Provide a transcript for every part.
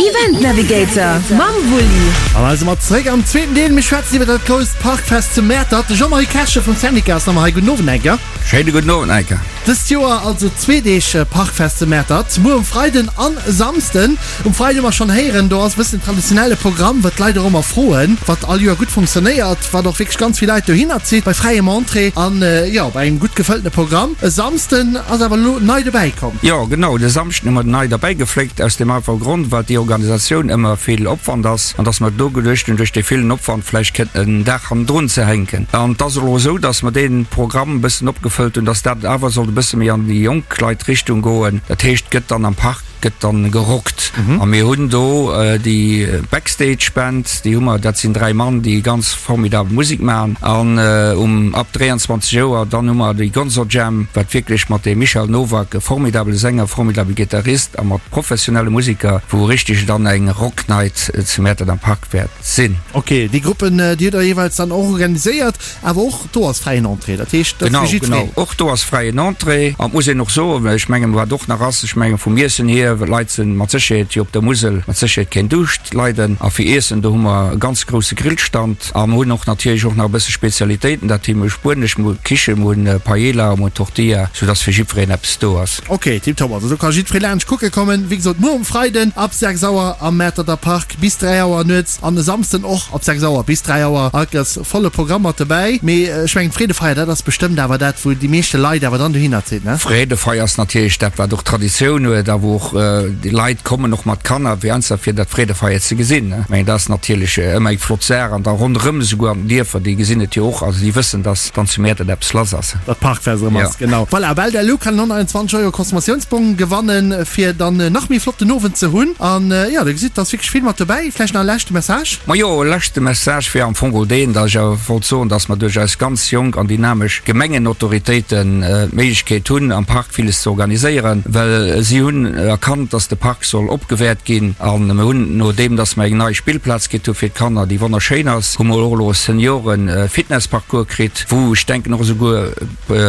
Event Navigator mam Wulli. An hei si mer zeréck am zweeten Deel. Mir schwätzen iwwer dat grousst Parkfest zu Mäertert. De Jean-Marie Kerschen vum Syndicat ass nach mat hei. Gudden Owend, Enker. Schéine gudden Owend, Enker. Dëst Joer also zwee Deeg Parkfest zu Mäertert, muer um Freiden an Samsden. Um Freide hu mer schonn héieren, do ass e bëssen den traditionelle Programm, wat d'Leit och ëmmer froen, wat all Joer gutt funktionéiert, wat och wierklech ganz vill Leit dohinner zitt, bei fräiem Entrée an, jo, bei engem gutt gefëlltene Programm. E Samsden ass awer elo nei dobäi komm. Jo, genau, de Samschden hu mer nei derbäi gefléckt, aus deem einfache Grond, well déi Organisatioun ëmmer vill Opwand ass an dass mer do geduecht hunn, duerch dee villen Opwand vläicht kënnt en Dag hannendrun ze hänken. An et ass elo esou, dass mer dee Programm e bëssen opgefëllt hunn, dass dat awer sollt e bësse méi an déi jonk Leit Richtung goen. Dat heescht, et gëtt dann am Park gëtt dann gerockt. A mir hunn do déi Backstage Band, déi hu mer, dat sinn 3 Mann, déi ganz formidabel Musek maachen. An um ab 23 Auer dann hu mer déi Gonzo Jam, wat wierklech mat dem Michel Nowak, e formidabele Sänger, formidabele Gitarrist a mat professionelle Musiker, wou richteg dann eng Rock Night zu Mäertert am Park wäert sinn. Ok, déi Gruppen, déi hutt der jeeweils dann och organiséiert. Awer och do ass fräien Entrée, dat heescht, dat ass fir jiddwereen. Genau, genau, och do ass fräien Entrée. An et muss een och soen, well ech mengen, wat och nach ass, ech mengen vum Iessen hier, well d'Leit sinn mat Sécherheet jo op der Musel mat Sécherheet keen Duuscht leiden. A fir Iessen, do hu mer e ganz grousse Grillstand a mer hunn och natierlech och nach e bësse Spezialitéiten, dat heescht, mir hu spuenesch, mir hu Kichen, mir hunn Paella, mir hunn Tortilla, soudass fir jiddwereen eppes do ass. Ok, tiptop, also do ka jiddweree laanscht kucke kommen. Wéi gesot, muer um Freiden ab 6 Auer am Mäerterter Park bis 3 Auer nuets an e Samsden och ab 6 Auer bis 3 Auer. Alt Volle Programm mat dobäi, mee ech mengen d'Freedefeier, dat ass bestëmmt awer dat wou déi meeschte Leit awer dann dohinner zitt, ne? Freedefeier ass natierlech dat wat och Traditioun huet a wou och déi Leit kommen, och mat Kanner fir einfach fir dat Freedefeier ze gesinn, ne? Ech mengen dat ass natierlech ëmmer eng flott Saach an da ronderëm esouguer an den Dierfer, déi gesinn et jo och, also déi wëssen, dass dann zu Mäertert eppes lass ass. Datt Parkfest erëm ass, genau. Voilà, Belle Delou kann 121 Euro Consommatiounsbong gewannen, fir dann nach méi flotten Owend ze hunn. An jo, der gesitt, et ass wierklech vill mat dobäi. Vläicht nach e leschte Message? Majo, e leschte Message wier am Fong och deen, datt ech awer wollt soen, datt mer duerch eis ganz jonk an dynamesch Gemengenautoritéiten d'Méiglechkeet hunn, am Park villes ze organiséieren, well si hunn erkannt, datt de Park soll opgewäert ginn. A mir hunn, nodeem datt mer eng nei Spillplaz kritt hu fir d'Kanner, déi wonnerschéin ass, hu mer och elo e Seniore-Fitnessparcours kritt, wou ech denken och esouguer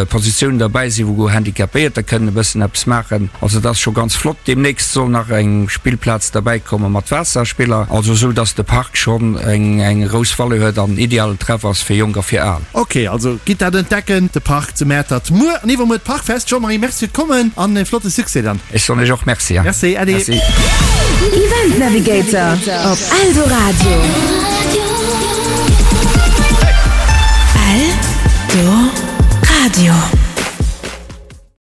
Positiounen derbäi sinn, wou Handicapéierter kënnen e bëssen eppes maachen. Also dat ass scho ganz flott. Deemnächst soll nach eng Spillplaz derbäi komme mat Waasserspiller. Also esou, dass de Park schonn eng eng grouss Valeur huet an idealen Treff ass fir Jonk a fir Al. Ok, also gitt dat entdecken, de Park zu Mäertert. Muer an iwwermuer d'Parkfest. Jean-Marie, Merci fir d'Kommen an e flotte Succès dann. Ech soen iech och Merci. Merci, Äddi. Merci. Event Navigator op Eldoradio. Eldoradio.